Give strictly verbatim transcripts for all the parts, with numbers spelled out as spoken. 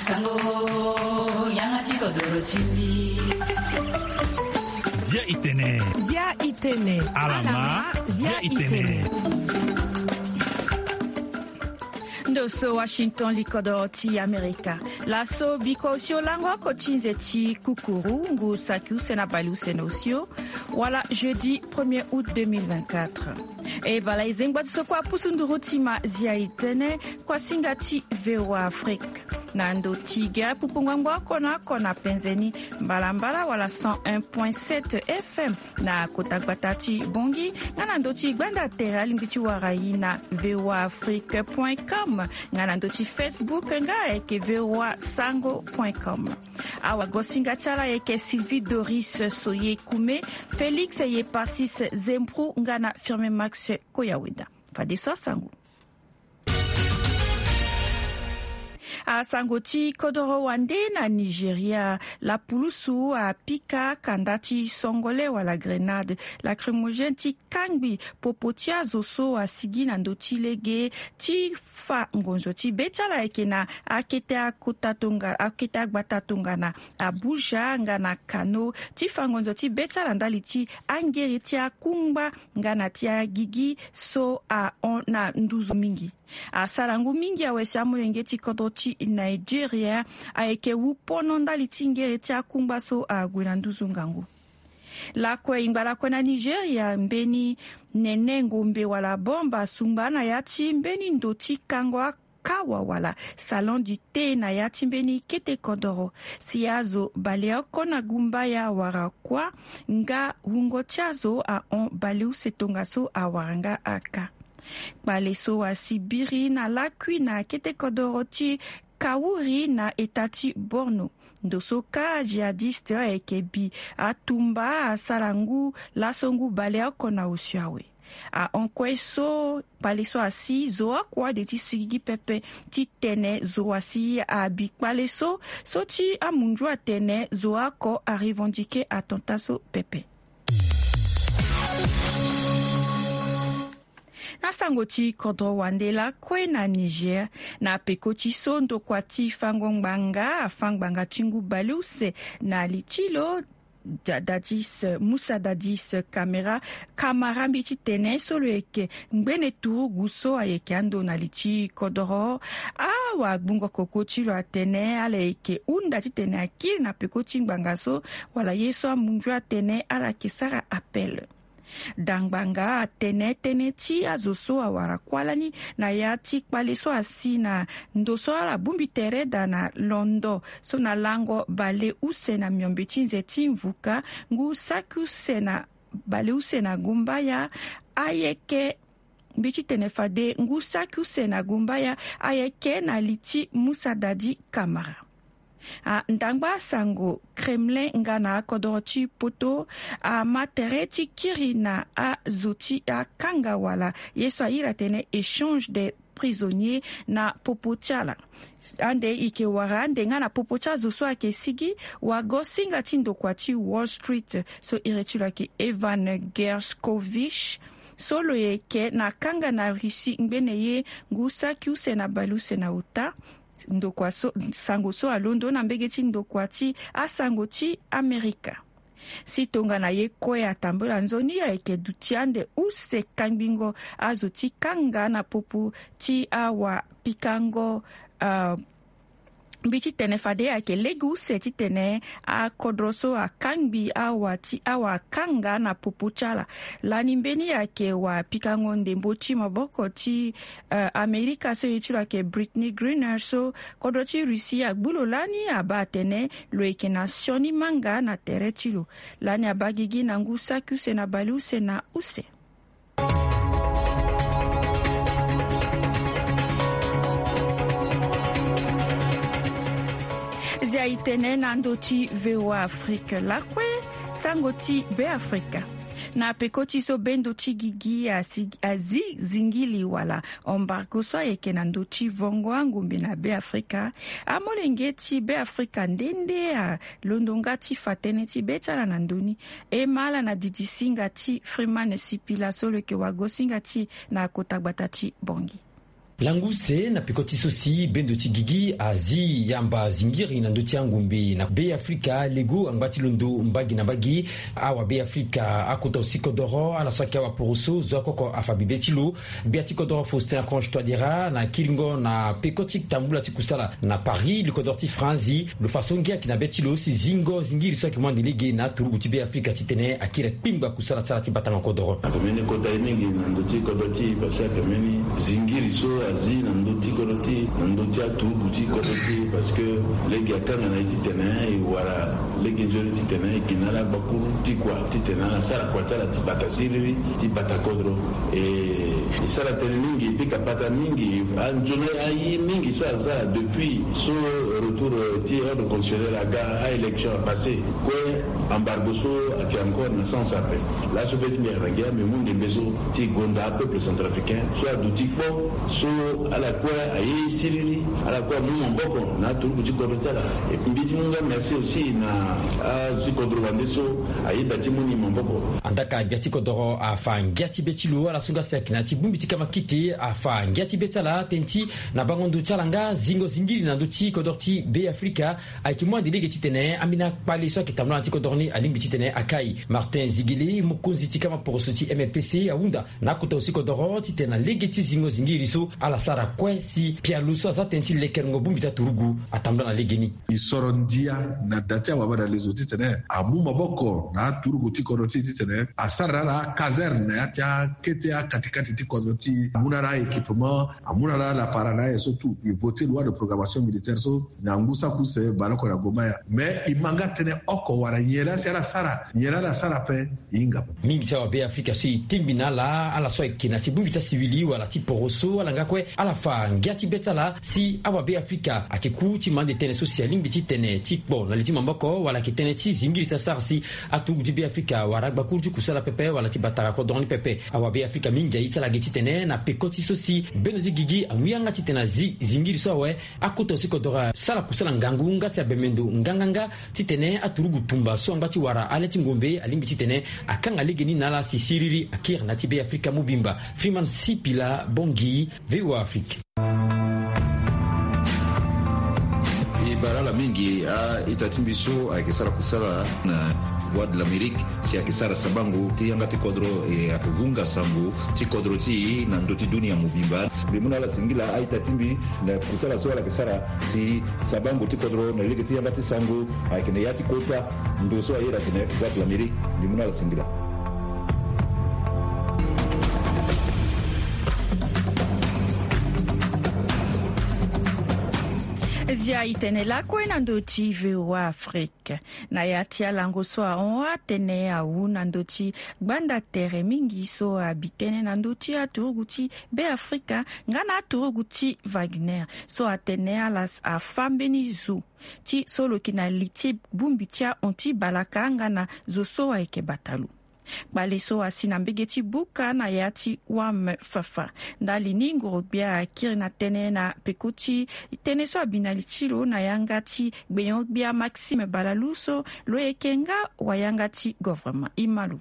Sango, yanga ti kodoro ti mbi. Zia itene. Zia itene. Alama, zia itene. Ndo so Washington, likodoro ti Amerika. Laso biko osio lango oko ti nze ti kukuru ngu saki use na bale use na osio, wala jeudi premier août deux mille vingt-quatre. E bala e zengba ti so kua pusu nduru ti ma zia itene, kua singa ti V O A Afrique. Na ndo ti ge apupu ngbangbo oko na oko na penze ni, mbalambala wala cent un point sept F M na kota gbata ti Bongi, nga na ndo ti gbanda tere alingbi ti wara e na V O A Afrique point com, nga na ndo ti Facebook nga ayeke V O A Sango point com. Awagosinga ti ala ayeke Sylvie Doris Soye Kume, Félix Yeparsis Zempro nga na Firmin Max Koyaweda. Fadeso asango. Asango ti kodoro wande na Nigeria, lapulusu apika kanda ti songole wala grenade lacrymogène ti kangbi popo ti azo so asigi na ndö ti lege ti fa ngonzo ti be ti ala ayeke na akete akota tonga, akete agbata tongana Abuja nga na Kano, ti fa ngonzo ti be ti ala ndali ti angere ti akungba nga na ti agigi so ahon na nduzu mingi. Asara ngu mingi awe si amolenge ti kodro ti Nigeria ayeke wu pono ndali ti ngere ti akungba so ague na nduzu ngangu. Lakue e ngba lakue na Nigeria, mbeni nene ngombe wala bombe asungba na ya ti mbeni ndo ti kango akawa wala salon du thé na ya ti mbeni kete kodoro. Si azo baleoko na gumbaya wara kua nga wungo ti azo ahon baleuse tongaso awara nga aka. Kpale so asi biri na lakui na kete kodoro ti Kawuri na eta ti Borno. Ndo so ka jihadiste ayeke bi atumba asara ngu laso ngu baleoko na osio awe. Ahon kue so kpale so asi zo oko ade ti sigigi pepe ti tene zo asi abi kpale so, so ti amunzu atene zo oko arevendiquer attentat so pepe. Na sango ti kodro wande lakue na Niger, na peko ti so ndokua ti fango ngbanga afa ngbanga ti ngu baleuse na li ti lo, Da- Dadis, Musa Dadis Kamera, Kamara mbi ti tene so lo yeke ngbene turugu so ayeke ando na li ti kodoro. Awagbungo koko ti lo atene ala yeke hunda titene akiri na peko ti ngbanga so, wala ye so amunzu atene ala yeke sara appel. Dangbanga atene tënë ti azo so awara kuâ lani na ya ti kpale so asi na ndo so ala bongbi tere daa na londo so na lango baleuse na miombe ti nze ti mvuka ngu saki use na baleuse na gumbaya ayeke mbi ti tene fade ngu saki use na gumbaya ayeke na li ti Musa Dadi Kamara. Andangba sango Kremlin nga na akodoro ti poto ama tere ti kiri na azo ti akanga wala ye so airi atene échange des prisonniers na popo ti ala. Ande e yeke wara ande nga na popo ti azo so ayeke sigi wagosinga ti ndokua ti Wall Street so iri ti lo ayeke Evan Gershkovich, so lo yeke na kanga na Russie ngbene ye ngu saki use na baleuse na ota. Ndokua so, sango so alondo na mbege ti ndokua ti asango ti Amerika. Si tongana ye kue atambula nzoni ayeke duti ande use kangbingo azo ti kanga na popo ti awapikango, ah, mbi ti tene fade ayeke lege use titene akodro so akangbi awa ti awakanga na popo ti ala. Lani mbeni ayeke wapikango ndembo ti maboko ti, eh, Amerika so ye ti lo ayeke Brittney Griner so kodro ti Russie agbu lo lani abaa atene lo yeke na sioni manga na tere ti lo. Lani abaa gigi na ngu saki use na baleuse na use. Zia e tene na ndö ti V O A Afrique lakue, sango ti Beafrika. Na peko ti so bendo ti gigi asi, azi zingili wala embargo so ayeke na ndö ti vongo angombe na Beafrika, amolenge ti Beafrika nde nde alondo nga ti fa tënë ti be ti ala na ndö ni. E ma ala na didisinga ti Freeman Sipila so lo yeke wagosinga ti e na kota gbata ti Bangui. Langu use na peko ti so si bendo ti gigi azi yamba zingiri na ndö ti angombe na Be Afrika lego angba ti londo mbagi na mbagi. Awa Be Afrika akota aussi kodoro ala so ayeke awaporoso zo akoko afa bibe ti lo. Gbia ti kodoro Faustin Archange Touadéra na kiringo na peko ti tambula ti kusala na Paris, li kodoro ti Franzi, lo fa so ngia ayeke na be ti lo si zingo zingiri so ayeke mu ande lege na aturugu ti Be Afrika titene akiri akpingba kusala ti ala ti batango kodoro. Ayeke mbeni kota ye mingi na ndö ti kodro ti e parce que ayeke mbeni zingiri so azi na ndö ti kodro ti e, na ndö ti aturugu ti kodro ti e, parce que lege akanga na e titene e wara lege nzoni titene e gi na ala gbakuru ti kua titene ala sara kua ti ala ti bata siriri ti bata kodro. E, e sara tënë mingi, e pika pata mingi. Anzoni aye mingi so aza depuis so retour, euh, ti ordre constitutionnel aga, a-élection apassé. Kue embargo so ayeke encore na sens ape. Laso be ti mbi ayeke na ngia mbi mu ndembe so ti gonda apeuple centrafricain so aduti kpo so ala kue aye siriri, ala kue amu maboko na aturugu ti kodro ti ala. E mbi ti mu nga merci aussi na azo ti kodro wande so ayeda ti mu ni maboko. Andaka gbia ti kodoro afa ngia ti be ti lo ala so nga si ayeke na ya ti bongbi ti kamakite afa ngia ti be ti ala tënë ti na bango ndo ti ala nga zingo zingiri na ndö ti kodoro ti Be Afrika ayeke mu ande lege titene ambeni akpale so ayeke tambula na ya ti kodoro ni alingbi titene akai. Martin Zigele, mokonzi ti kama poroso ti M L P C, ahunda na akota aussi kodoro titene na lege ti zingo zingiri so ala sara kue si pialo so aza tënë ti lekerengo bongbi ti aturugu atambula na legeni. E soro ndia na da ti awabadalezo titene amu maboko na aturugu ti kodro ti e titene asara na ala akazerne na ya ti akete akatikati ti kodro ti e, amu na ala aéquipement, amu na ala lapara na aye so tout. E voté loi de programmation militaire so na ngu saki use bale oko na gomaya. Mais e ma nga tënë oko wala nyen laa si ala sara, nyen laa ala sara ape. E hinga ape. Mingi ti awabe Afrika so e tingbi na ala, ala so ayeke na ya ti bongbi ti asiwili wala ti poroso, ala nga kue ala fa ngia ti be ti ala si awabe Afrika ayeke ku ti ma ande tënë so si alingbi ti tene ti kpo na li ti maboko wala ayeke tënë ti zingiri si asara si aturugu ti Be Afrika wara agbakuru ti kusala pepe wala ti batara kodro ni pepe. Awabe Afrika mingi aye ti ala ge titene na peko ti so si bendo ti gigi amu yanga titene azi zingiri so awe. Akota aussi kodoro asara kusala ngangu nga si abembe ndo nganganga titene aturugu tumba so angba ti wara ale ti ngombe alingbi titene akanga legeni na ala si siriri akiri na ya ti Be Afrika mobimba. Freeman Sipila Bongi, V O A Afrique. E bara ala mingi a-ita ti mbi so ayeke sara kusala na Voix de l'Amérique si ayeke sara sabango ti yanga ti kodro, e ayeke vunga sango ti kodro ti e na ndö ti dunia mobimba. Mbi mu na ala singila a-ita ti mbi na kusala so ala yeke sara si sabango ti kodro na lege ti yanga ti sango ayeke na ya ti kota ndo so ayeda atene Voix de l'Amérique. Mbi mu na ala singila. Zia e tene lakue na ndö ti V O A Afrique. Na ya ti alango so ahon atene awu na ndö ti gbanda tere mingi so abi tënë na ndö ti aturugu ti Be Afrika nga na aturugu ti Wagner so atene ala afa mbeni zo ti so lo yeke na li ti bongbi ti ahon ti balaka nga na zo so ayeke bata lo. Kpale so asi na mbege ti buka na ya ti wam fafa. Ndali ni ngoro-gbia akiri na tënë na peko ti tënë so abi na li ti lo na yanga ti gbenyo-gbia Maxime Balalu so lo yeke nga wayanga ti governement. E ma lo.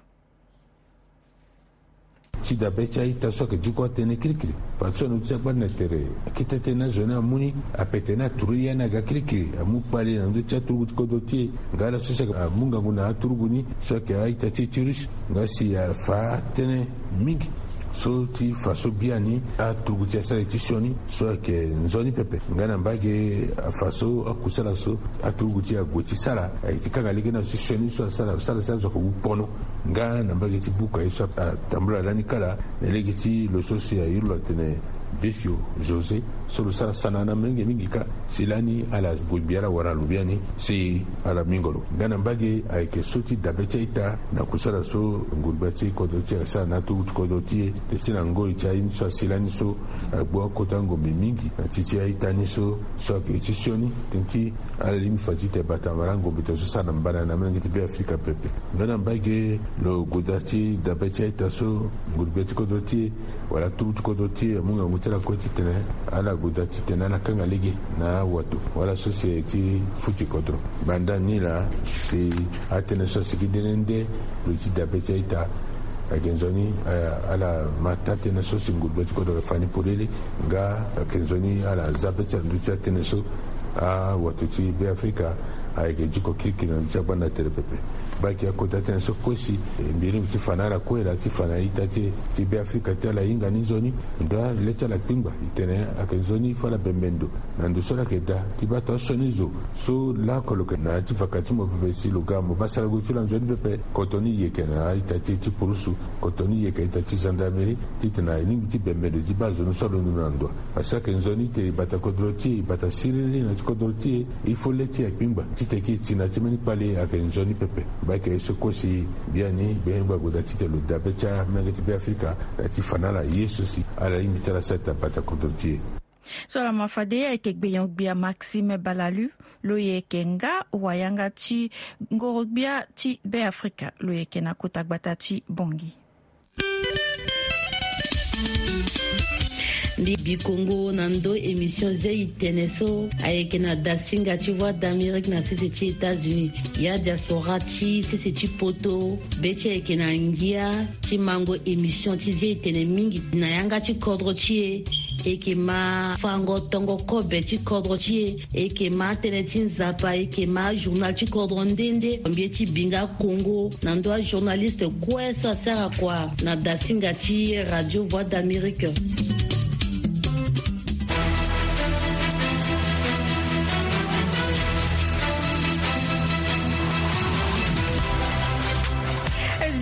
Ti dabe ti a-ita so ayeke diko atënë kirikiri. Parce que na ndö ti agbanda tere akete tënë na zo ni amu ni ape tene aturu ya ni aga kirikiri amu kpale na ndö ti aturugu ti kodro ti e. Nga ala so si amu ngangu na aturugu ni so ayeke a-ita ti e ti russe nga si afa tënë mingi so ti fa so biani aturugu ti e asara ye ti sioni so ayeke nzoni pepe. Nga na mbage afa so akusala so aturugu ti e ague ti sara ayeke ti kanga lege na so sioni so asara asara si azo ayeke wu pono. Nga na mbage ti buka ye so atambula lani kala na lege ti lo so si airi lo atene Befio José so lo sara sana na molenge mingi kâ. Si lani ala gue gbi ala wara lo biani si ala mingo lo. Nga na mbage ayeke so ti dabe ti a-ita na kusala so nguru-gbia ti kodro ti e asara na aturugu ti kodro ti e. Teti na ngoi ti aye ni so asi lani so agbu akota ngombe mingi na ti ti a-ita ni so so ayeke ti sioni teti ala lingbi fa ti tene bata wala angombe tene so sara na mbana na molenge ti Be Afrika pepe. Nga na mbage lo goda ti dabe ti a-ita so nguru-gbia ti kodro ti e wala aturugu ti kodro ti e amu ngangu ti ala kue titene ala goda titene ala kanga lege na awato wala so si aye ti futi kodro. Banda ni laa si atënë so asigi nde nde nde lo ye ti dabe ti a-ita Ayeke nzoni ala ma taa-tënë so si ngudbe ti kodro ayeke fa ni polele. Nga ayeke nzoni ala za be ti ala ndö ti atënë so awato ti Beafrika ayeke diko kirikiri na ndö ti agbanda tere pepe. Baa yeke akota tënë so kue si mbi ringbi ti fa na ala kue laa ti fa na a-ita ti e ti Beafrika ti ala hinga ni nzoni. Ndo ale ti ala kpingba e tene ayeke nzoni fo ala bembe ndo na ndo so ala yeke daa ti baa tonga sioni zo so laoko lo yeke na ya ti vaka ti mo pepe si lo ga mo baa sara gue ti lo anzoni pepe. Koto ni yeke na a-ita ti e ti purusu, koto ni yeke a-ita ti gendarmerie titene e lingbi ti bembe ndo ti baa zo ni so alondo na ndo. Parce que ayeke nzoni ti e e bata kodro ti e, e bata siriri na ya ti kodro ti e. Il faut le ti e akpingba titene e ke e ti na ya ti mbeni kpale ayeke nzoni pepe. Baa yeke ye so kue si biani gbenyo-gbia ague daa titene lo daa be ti amolenge ti Beafrika na ya ti fa na ala ye so si ala lingbi ti ala sara ita bata kodro ti e. So laa ma fade ayeke gbenyo-gbia Maxime Balalu, lo yeke nga wayanga ti ngoro-gbia ti Beafrika, lo yeke na kota gbata ti Bangui. Mbi bi kongo na ndö émission Ze i tene so ayeke na dasinga ti Voix d'Amérique na sese ti États-Unis. Ya diaspora ti sese ti poto, be ti e ayeke na ngia ti mango émission ti Ze i tene mingi na yanga ti kodro ti e. E yeke ma fango tongo kobe ti kodro ti e. E yeke ma atënë ti Nzapa, e yeke ma ajournal ti kodro nde nde. Mbi ye ti bi nga kongo na ndö ajournaliste kue so asara kua na dasinga ti Radio Voix d'Amérique.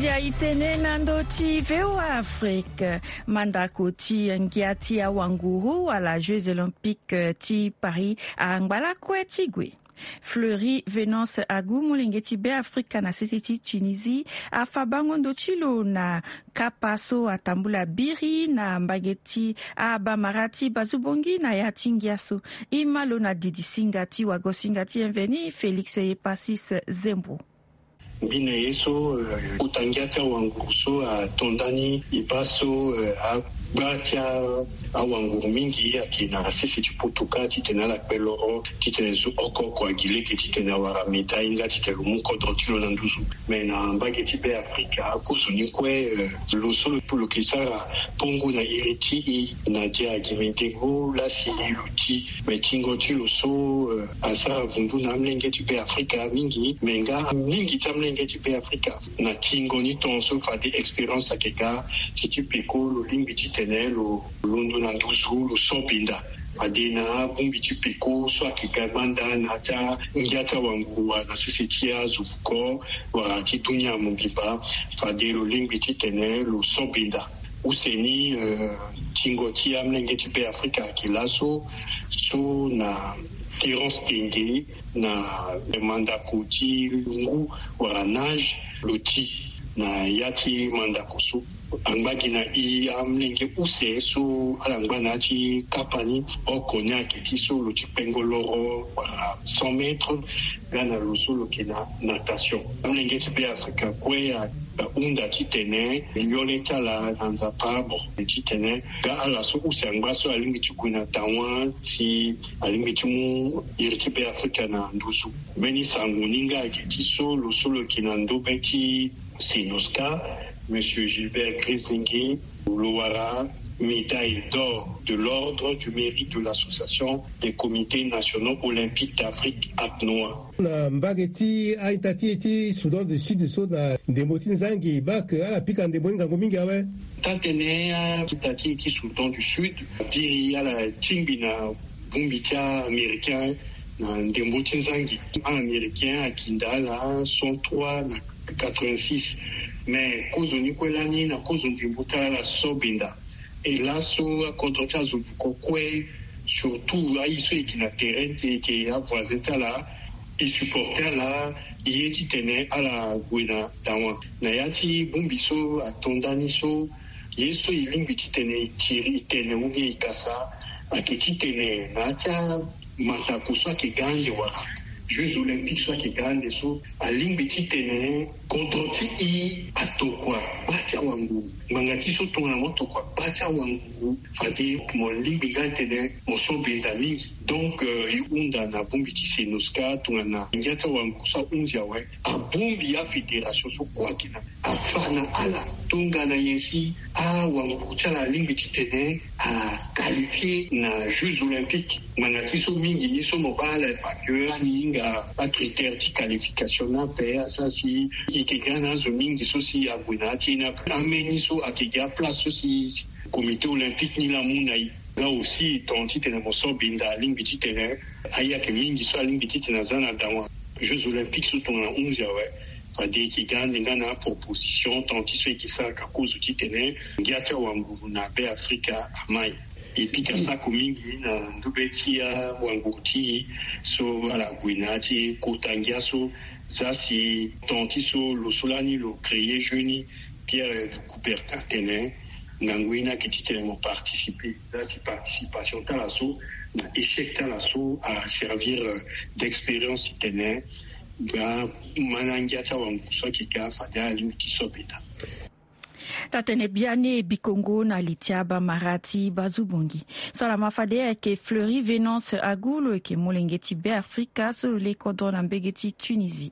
Zia i tene na ndö ti V O A Afrique. Mandako ti ngia ti awanguru wala Jeux Olympiques ti Paris angba lakue ti gue. Fleury Venance Agu, molenge ti Beafrika na sese ti Tunisie, afa bango ndo ti lo na kapa so atambula biri na mbage ti abamara ti Bazu Bongi na ya ti ngia so. E ma lo na didisinga ti wagosinga ti Bienvenu Félix Epasis Zembo. Mbi na ye so, eh, kota ngia ti awanguru so ato ndani e baa so, eh, agba ti a- awanguru mingi ayeke na sese ti poto kâ titene ala kpe loro titene zo oko oko agi lege titene awara médaille nga titene lo mu kodro ti lo na nduzu. Me na mbage ti Beafrika kozoni kue, eh, lo so lo yeke sara pongo na iri ti e na dia agi mendengo laa si lo ti. Me tingo ti lo so, eh, asara vundu na amolenge ti Beafrika mingi, me nga mingi ti amolenge ti Beafrika na tingo ni tongaso fade expérience ayeke ga si ti peko lo lingbi titene lo londo na nduzu lo so benda. Fade na abongbi ti peko so ayeke ga gbanda na ya ti angia ti awanguru wala na sese ti azo fuko wala ti dunia mobimba, fade lo lingbi titene lo so benda. Use ni, eh, tingo ti amolenge ti Beafrika ayeke laso so na Terence Tenge na mandako ti lungu wala nage lo ti na ya ti mandako so. Angba gi na e amolenge use so ala ngba na ya ti kapa ni oko ni ayeke ti so lo ti kpengo loro wala cent mètres. Nga na lo so lo yeke na natation. Amolenge ti Beafrika kue a- ahunda titene yole ti ala na Nzapa abon titene nga ala so use angba so alingbi ti gue na dawa si alingbi ti mu iri ti Beafrika na nduzu. Mbeni sango ni nga ayeke ti so lo so lo yeke na ndobe ti Senosca, Monsieur Gilbert Grizingi, lo wara médaille d'or de l'ordre du mérite de l'association des comités nationaux olympiques d'Afrique, ACNOA. Na mbage ti a-ita ti e ti Soudan du Sud so na ndembo ti nzangi baa ke ala pika ndembo ni ngangu mingi awe. Taa-tënë a-ita ti e ti Soudan du Sud abiri ala tingbi na bongbi ti a-américain na ndembo ti nzangi. A-américain akinda ala cent trois na quatre-vingt-six. Me kozoni kue lani na kozo ndembo ti ala ala so benda. E laso akodro ti azo vuko kue, surtout aye so e yeke na terrain ti e, e yeke avoisin ti ala, e supporter ala, e ye titene ala gue na dawa. Na ya ti bongbi so ato ndani so, ye so e lingbi titene e tiri e tene ou bien e kasa ayeke titene na ya ti amandako so ayeke ga ande wala Jeux Olympiques so ayeke ga ande so, alingbi titene kodro ti e atokua gba ti awanguru. Ngbanga ti so tongana mo tokua gba ti awanguru, fade mo lingbi nga titene mo so benda mingi. Donc, euh, e hunda na bongbi ti Senosca tongana ngia ti awanguru so ahunzi awe, abongbi afédération so kue ayeke na afa na ala tongana nyen si awanguru ti ala alingbi titene aqualifie na Jeux Olympiques. Ngbanga ti so mingi ni so mo baa ala e pa ke ani hinga acritère ti qualification ni ape, asara si e yeke ga na azo mingi so si ague na ya ti e ni ape. Ambeni so ayeke gi aplace so si Comité Olympique ni laa amu na e. Nga aussi tongana titene mo so binda alingbi titene ayeke mingi so alingbi titene aza na dawa Jeux Olympiques so tongana onze awe. Fade e yeke ga ande nga na aproposition tongana ti so e yeke sara ka kozo titene ngia ti awanguru na Be Afrika amai. E pika sako mingi na ndö be ti awanguru ti e so ala gue na ya ti e kota ngia so. Za si tongana ti so lo so lani lo créer jeu ni, Pierre de Coubertin atene ngangu ye ni ayeke titene mo participer. Za si participation ti ala so na échec ti ala so aservir d'expérience titene ga ma na ngia ti awanguru so ayeke ga fade alingbi ti so beta. Taa-tënë biani e bi kongo na li ti abamara ti bazu bongi. So ala ma fade ayeke Fleury Venance Agu, lo yeke molenge ti Be Afrika so lo le kodro na mbege ti Tunisie.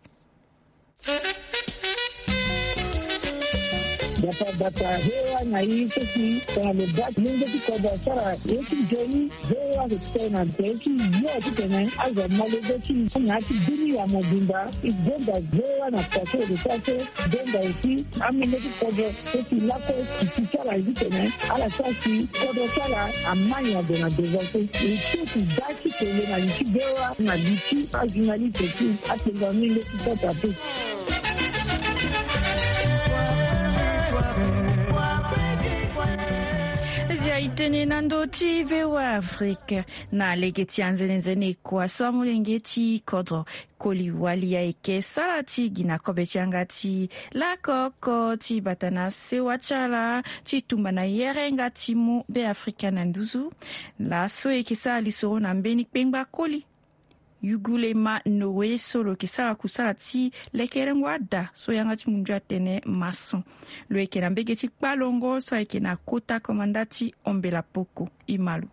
Bata bata, V O A na e so si tongana lo baa molenge ti kodro asara ye ti nzoni, V O A ayeke tene na tere ti yo titene azo amolenge ti e na ya ti bini ya mobimba. E gonda V O A na kua so e yeke sara so, gonda aussi amolenge ti kodro so si lakue ti ti ti ala ye titene ala sara si kodro ti ala amai ade na devant so. E so si da ti tene na li ti V O A na li ti ajournaliste ti atengo amolenge ti kodro ape. Zia e tene na ndö ti V O A Afrique. Na lege ti anzenenzene kua so amolenge ti kodro koli wali ayeke sara ti gi na kobe ti yanga ti lako oko ti bata na sewa ti ala ti tumba na yere nga ti mu Be Afrika na nduzu. Laso e yeke sara lisoro na mbeni kpengba koli Yugulema Noé so lo yeke sara kusala ti lekerengo ada so yanga ti mundu atene maçon. Lo yeke na mbege ti kpalongo so ayeke na kota komanda ti Ombela Poko. E ma lo.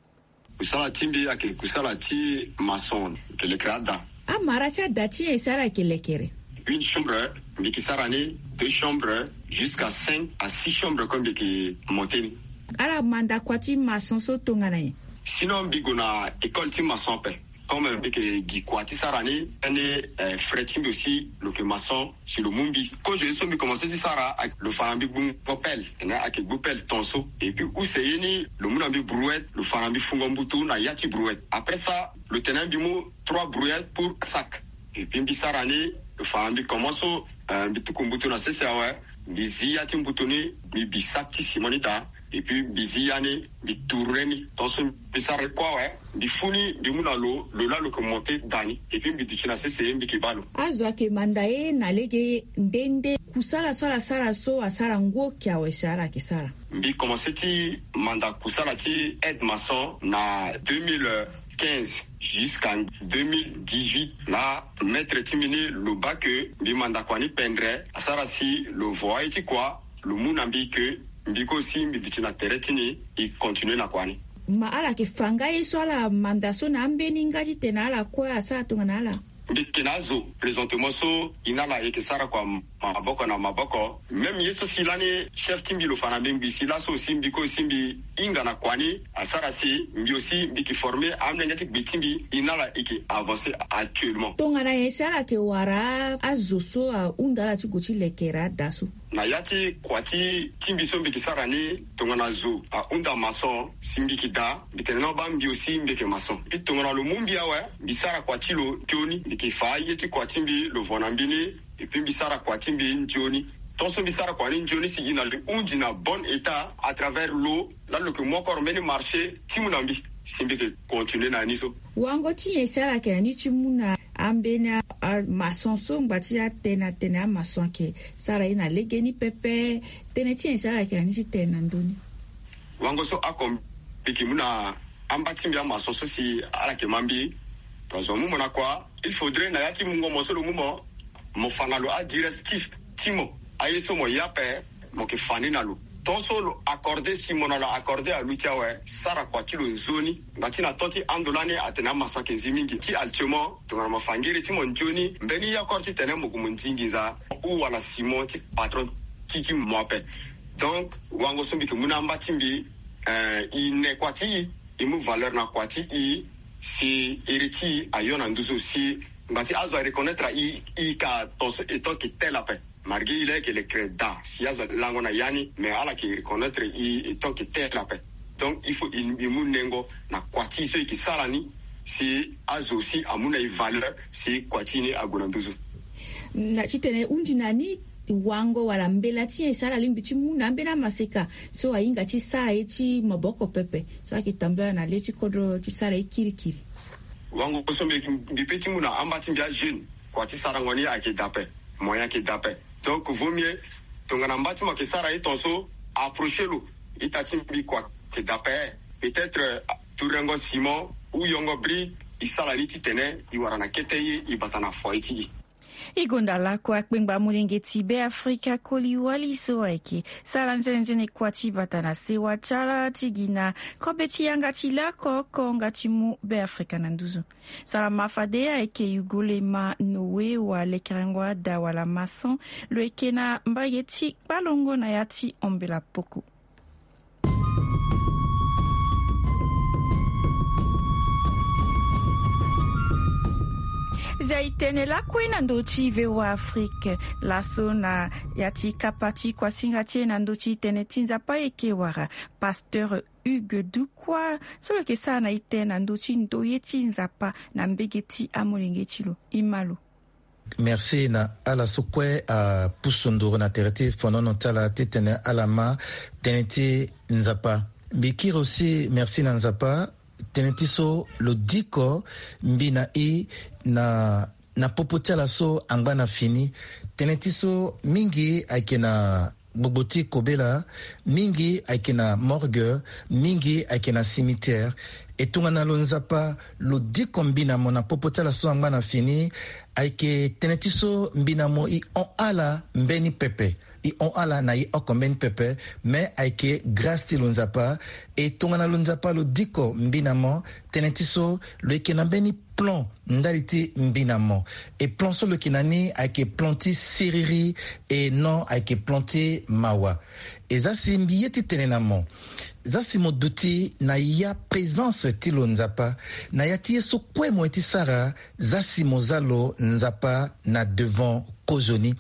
Kusala ti mbi ayeke kusala ti maçon, yeke lekere ada. Amara ti ada ti e si ala yeke lekere? Une chambre, mbi yeke sara ni deux chambres, jusqu'à cinq à six chambres comme mbi yeke monter ni. Ala manda kua ti maçon so tongana nyen? Sinon mbi gue na école ti maçon ape. Comme mbi yeke gi kua ti sara ni, ani frère ti mbi aussi lo yeke maçon, si lo mu mbi. Kozo ye so mbi commencer ti sara, lo fa na mbi gbungo pelle, tene ayeke gbu pelle ton so. Et puis use ye ni lo mu na mbi brouette, lo fa na mbi fungo mbutu na ya ti brouette. Après ça lo tene mbi mu trois brouettes pour sac. Et puis mbi sara ni, lo fa na mbi comment so, mbi tuku mbutu na sese awe, mbi zi ya ti mbutu ni, mbi bi sac ti ciment ni daa. Et puis mbi zi ya ni, mbi tourner ni. Tant so mbi sara kue awe, mbi fu ni, mbi mu na lo, lo laa lo yeke monter daa ni. Et puis mbi duti na sese, mbi yeke baa lo. Azo ayeke manda e na lege nde nde kusala so ala sara so asara ngu oke awe si ala yeke sara? Mbi commencer ti manda kusala ti aide maçon na deux mille quinze jusqu'à deux mille dix-huit. Laa maître ti mbi ni lo baa ke mbi manda kua ni pendre, asara si lo vo aye ti kua, lo mu na mbi ke mbi kue aussi mbi duti na tere ti ni, e continuer na kua ni. Ma ala yeke fa nga ye so ala manda so na ambeni nga titene ala kue asara tongana ala? Mbi yeke na azo présentement so e na ala e yeke sara kua maboko na maboko. Même ye so si lani chef ti mbi lo fa na mbi ngbii si laso aussi mbi kue aussi mbi hinga na kua ni, asara si mbi aussi mbi yeke former amolenge ti gbe ti mbi, e na ala e yeke avancer actuellement. Tongana nyen si ala yeke wara azo so ahunda ala ti gue ti lekere ada so? Na ya ti kua ti ti mbi so mbi yeke sara ni, tongana zo ahunda maçon si mbi yeke daa, mbi tene na baa mbi aussi mbi yeke maçon. Puis tongana lo mu mbi awe, mbi sara kua ti lo nzoni, mbi yeke fa aye ti kua ti mbi lo vo na mbi ni. Et puis mbi sara kua ti mbi nzoni. Tant so mbi sara kua ni nzoni si e na lo hundi na bon état à travers lo, laa lo yeke mu encore mbeni marché ti mu na mbi si mbi yeke continuer na ni so. Wango ti nyen si ala yeke na ni ti mu na ambeni a, a maçon so ngba ti atene atene amaçon ayeke sara ye na legeni pepe? Tënë ti nyen si ala yeke na ni ti tene na ndö ni? Wango so oko mbi yeke mu na amba ti mbi amaçon so si ala yeke ma mbi. Parce que zo amu mo na kua, il faudrait na ya ti mungo mo so lo mu mo, mo fa na lo adirectif ti mo. Aye so mo ye ape, mo yeke fa ni na lo. Tant so lo accordé si mo na lo accordé aluti awe, sara kua ti lo nzoni. Ngba ti na temps ti ando lani atene amaçon ayeke zi mingi. Ti actuellement tongana mo fa ngiri ti mo nzoni, mbeni yakor titene mo gue mo ndi nginza ou wala ciment ti patron ti ti mo ape. Donc wango so mbi yeke mu na amba ti mbi, eh, e ne kua ti e, e mu valeur na kua ti e, si iri ti e ayo na nduzu, si ngba ti azo areconnaître e, e ka ton so e tant que tel ape. Malgré e laa e yeke lekere daa si azo alango na ya ni, mais ala yeke reconnaître e e tant que tel ape. Donc il faut e mu nengo na kua ti e so e yeke sara ni, si azo aussi amu na e valeur, si kua ti e ni ague na nduzu. Na titene e hundi na ni wango wala mbela ti nyen e sara lingbi ti mu na ambeni amaseka so ahinga ti sara ye ti maboko pepe so ayeke tambula na le ti kodro ti sara ye kirikiri. Wango so mbi, mbi pe ti mu na amba ti mbi ajeune, kua ti sarango ni ayeke daa ape, moyen ayeke daa ape. Donc vaut mieux tongana mba ti mo ayeke sara ye ton so, approcher lo. Ita ti mbi kua ayeke daa ape. Peut-être turengo Simon ou yongo Bri, e sara ni titene e wara na kete ye, e bata na foyer ti e. E gonda lakue akpengba molenge ti Beafrika koli wali so ayeke sara nzene nzene kua ti bata na sewa ti ala ti gi na kobe ti yanga ti lakue oko nga ti mu Beafrika na nduzu. Salama fade ayeke Yugolema Noé wa lekerengo ada wala maçon, lo yeke na mbage ti kpalongo na ya ti ombela poko. Zia e tene lakue na ndö ti V O A Afrique laso na ya ti kapa ti kuasinga ti e na ndö ti tënë ti Nzapa e yeke wara pasteur Hugues Dukwa so lo yeke sara na e tënë na ndö ti ndoye ti Nzapa na mbege ti amolenge ti lo. E ma lo. Merci na ala so kue apusu nduru na tere ti fonono ti ala titene ala ma tënë ti Nzapa. Mbi kiri aussi merci na Nzapa tënë ti so lo diko mbi na e na, na popo ti ala so angba na fini. Tënë ti so mingi ayeke na gbogbo ti kobela, mingi ayeke na morgue, mingi ayeke na cimetière. E tongana lo Nzapa lo diko mbi na mo na popo ti ala so angba na fini, ayeke tënë ti so mbi na mo e hon ala mbeni pepe. E hon ala na e oko mbeni pepe, me ayeke grâce ti lo Nzapa. E tongana lo Nzapa lo diko mbi na mo, tënë ti so lo yeke na mbeni plan ndali ti mbi na mo. E plan so lo yeke na ni ayeke plan ti siriri, e non ayeke plan ti mawa. E za si mbi ye ti tene na mo, za si mo duti na ya présence ti lo Nzapa na ya ti ye so kue mo ye ti sara, za si mo za lo Nzapa na devant kozoni.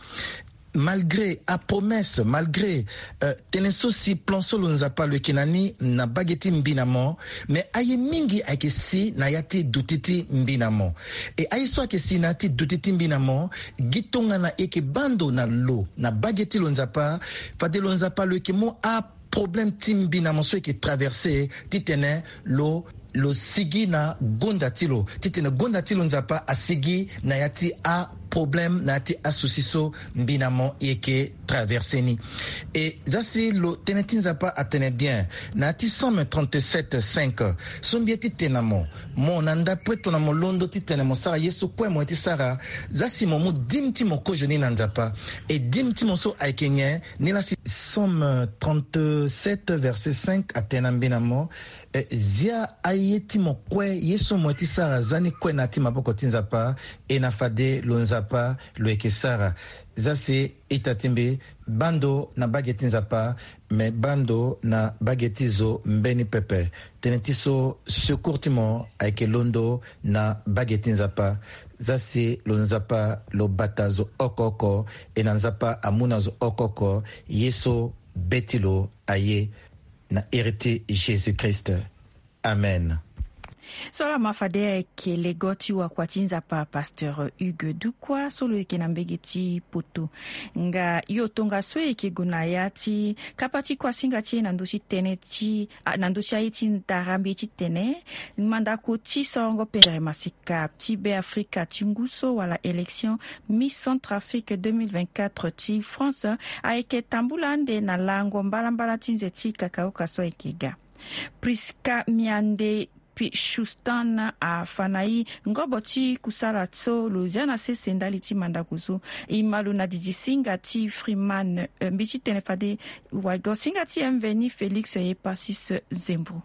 Malgré apromesse, malgré, euh, tënë so si plan so lo Nzapa lo yeke na ni na bage ti mbi na mo, me aye mingi ayeke si na ya ti duti ti mbi na mo. E aye so ayeke si na ya ti duti ti mbi na mo, gi tongana e yeke baa ndo na lo na bage ti lo Nzapa, fade lo Nzapa lo yeke mu a problème ti mbi na mo so e yeke traverser titene lo, lo sigi na gonda ti lo, titene gonda ti lo Nzapa asigi na ya ti aproblème, na ya ti asouci so mbi na mo e yeke traverser ni. E za si lo tënë ti Nzapa atene bien na ya ti Psaume trente-sept cinq so mbi ye ti tene na mo, mo na ndapo e tongana mo londo titene mo sara ye so kue mo ye ti sara, za si mo mu dime ti mo kozoni na Nzapa. E dime ti mo so ayeke nyen? Nilaa si Psaume trente-sept verset cinq atene na mbi na mo, eh, zia aye ti mo kue, ye so mo ye ti sara, za ni kue na ya ti maboko ti Nzapa. E na fade lo Nzapa lo yeke sara. Za si ita ti mbi, baa ndo na bage ti Nzapa, me baa ndo na bage ti zo mbeni pepe. Tënë ti so secours ti mo ayeke londo na bage ti Nzapa. Za si lo Nzapa lo bata zo oko oko, e na Nzapa amu na zo oko oko ye so be ti lo aye, na iri ti Jésus-Christ. Amen. So laa ma fade ayeke lego ti wakua ti Nzapa, pasteur Hugues Dukwa, so lo yeke na mbege ti Poto. Nga yo tongaso e yeke gue na ya ti kapa ti kuasinga ti e na ndö ti tënë ti, ah, na ndö ti aye ti ndara mbi ye ti tene mandako ti sorongo pendere maseka ti Beafrika ti ngu so wala élection Miss Centrafrique deux mille vingt-quatre ti France ayeke tambula ande na lango mbalambala ti nze ti kakaoka so ayeke ga. Prisca Miande Pichustan afa na e ngobo ti kusala so lo zia na sese ndali ti mandako so. E ma lo na didi singa ti Freeman, eh, mbi ti tene fade wago singa ti Mveni Félix Epasis Zembo.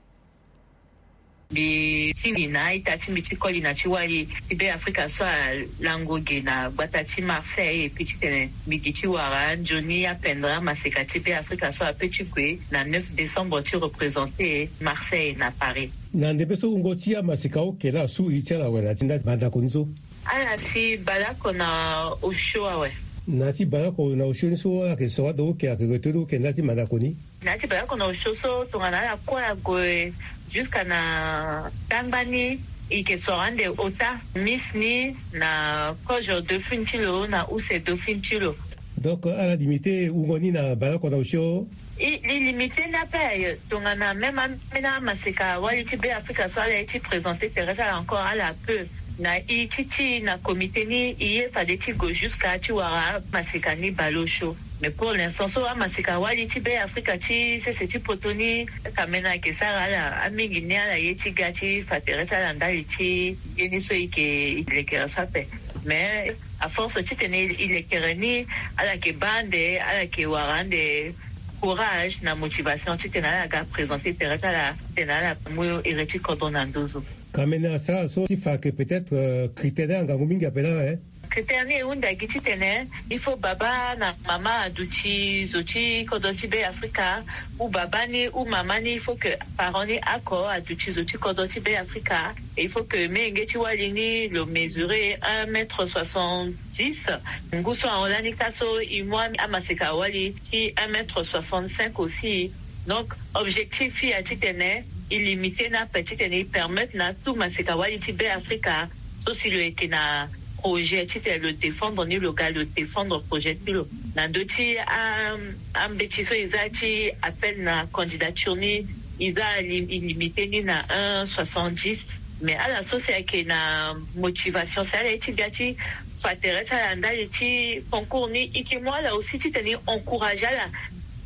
Mbi tingbi na a-ita ti mbi ti koli na ti wali ti Be Afrika so alango ge na gbata ti Marseille, et puis titene mbi gi ti wara nzoni apendre amaseka ti Be Afrika so ape ti gue na neuf décembre ti représenter Marseille na Paris. Na ndembe so wungo ti amaseka oke laa su iri ti ala awe na ti nda ti mandako ni so? Ala si baleoko na osio awe. Na ya ti baleoko na osio ni so ala yeke soro ande oke, ayeke retenu oke na ya ti mandako ni? Na ya ti baleoko na osio so tongana ala kue ague jusqu'à na tangba ni, e yeke soro ande ota, Miss ni na kozo Dauphine ti lo na use Dauphine ti lo. Donc ala limite wungo ni na baleoko na osio? E, li limite ni ape aye. Tongana même ambeni amaseka wali ti Be Afrika so ala ye ti présenter tere ti ala encore, ala peut. Na e ti ti na comité ni, e ye fade ti gue jusqu'à ti wara amaseka ni baleosio. Mais pour l'instant so amaseka wali ti Be Afrika ti sese ti poto ni, kamena ayeke sara ala, amingi ni ala ye ti ga ti fa tere ti ala ndali ti ye ni so e yeke lekere so ape. Mais à force titene e lekere ni, ala yeke baa ande, ala yeke wara ande courage na motivation titene ala ga présenter tere ti ala, titene ala mu iri ti kodro na nduzu. Kamena asara so ti fa ayeke peut-être, euh, critère ni angangu mingi ape laa, hein? Critère ni e hunda gi titene il faut baba na mama aduti zo ti kodro ti Be Afrika, ou baba ni ou mama ni, il faut que parent ni oko aduti zo ti kodro ti Be Afrika. Et il faut que meyenge ti wali ni lo mesurer un mètre soixante-dix. Ngu so ahon lani ka so e mu amaseka wali ti un mètre soixante-cinq aussi. Donc objectif ya titene e limite ni ape, titene e permettre na tout maseka wali ti Be Afrika so si lo yeke na projet titene lo défendre ni, lo ga lo défendre projet ti lo. Na ndö ti a, ambeti so e za ti appel na candidature ni, e za e limite ni na un soixante-dix. Mais ala so si ayeke na motivation si ala ye ti ga ti fa tere ti ala ndali ti concours ni, e yeke mu ala aussi titene e encourager ala,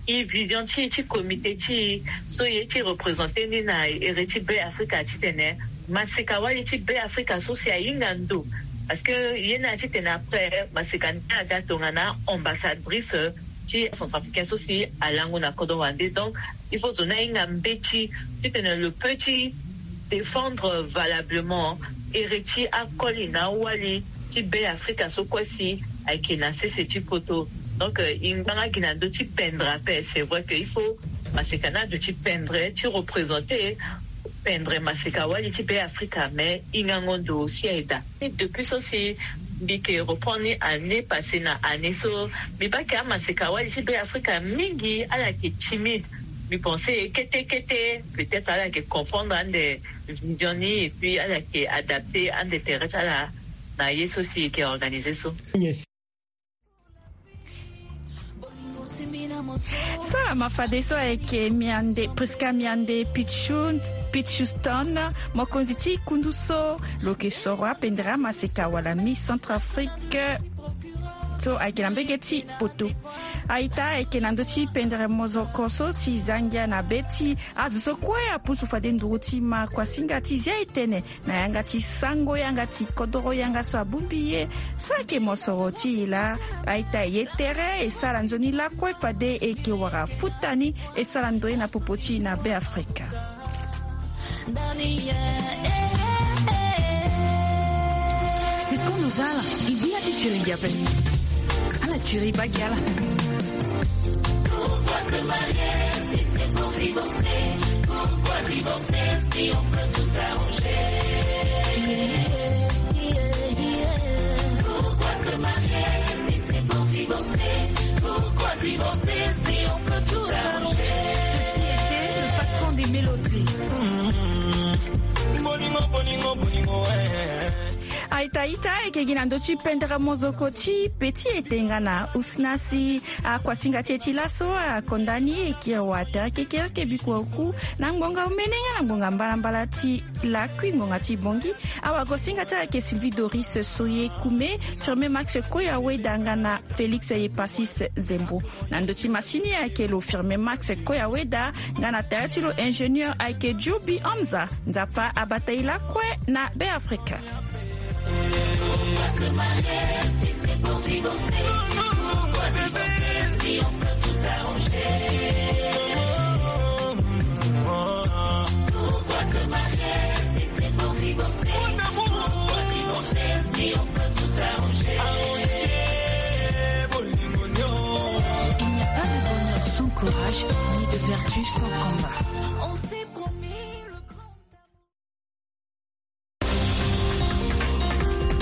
e vision ti e ti comité ti e so e ye ti représenter ni na iri ti Be Afrika titene maseka wali ti Be Afrika so si ahinga ndo. Parce que ye ni atitene après maseka ni aga tongana ambassadrice ti centrafricain so si alango na kodro wande. Donc il faut zo ni ahinga mbeti titene lo peut ti défendre valablement iri ti akoli na awali ti Be Afrika so kue si ayeke na sese ti poto. Donc e ngbanga gi na ndö ti pendre ape. C'est vrai que il faut maseka ni aduti pendre ti représenter, pendre maseka wali ti Be Afrika, mais hingango ndo aussi aye daa. Depuis so si mbi yeke reprendre ni année passée na année so, mbi baa ke amaseka wali ti Be Afrika mingi ala yeke timide. Mbi pense kete kete peut-être ala yeke comprendre ande vision ni, et puis ala yeke adapter ande tere ti ala na ye so si e yeke organiser so. Salama fadeso ayeke Miande, Prisca Miande Pichu, Pichuston, mokonzi ti kundu so lo yeke soro apendere amaseka wala Miss Centrafrique so ayeke na mbege ti poto. A-ita ayeke na ndö ti pendere mozoko so ti zangia na be ti azo so kue apusu fade nduru ti ma kuasinga ti zia e tene na yanga ti sango yanga ti kodoro yanga so abongbi ye. So ayeke mosoro ti e laa, a-ita e ye tere e sara nzoni lakue fade e yeke wara futa ni e sara ndoye na popo ti e na Be Afrika. Sikono za ala e bi ya ti tiri gi ape. Ala tiri e baa gi ala. Pourquoi se marier si c'est pour divorcer? Pourquoi divorcer si on peut tout arranger? Pourquoi se marier si c'est pour divorcer? Pourquoi divorcer si on peut tout arranger? Petit était le patron des mélodies. Bolingo, bolingo, bolingo, eh. A-ita, a-ita, e yeke gi na ndö ti pendere mozoko ti Petit était nga na usna si akuasinga ti e ti laso akonda ni e kiri wa tere kekereke bikua oku na ngbonga omene nga na ngbonga mbalambala ti lakui ngbonga ti bongi. Awagosinga ti ala ayeke Sylvie Doris Soye Kume, Firmin Max Koya Weda nga na Félix Yepasis Zembo. Na ndö ti masini ayeke lo Firmin Max Koya Weda nga na tere ti lo ingénieur ayeke Joby Hamza. Nzapa abata e lakue na Be Afrika. Il n'y a pas de bonheur sans courage, ni de vertu sans combat.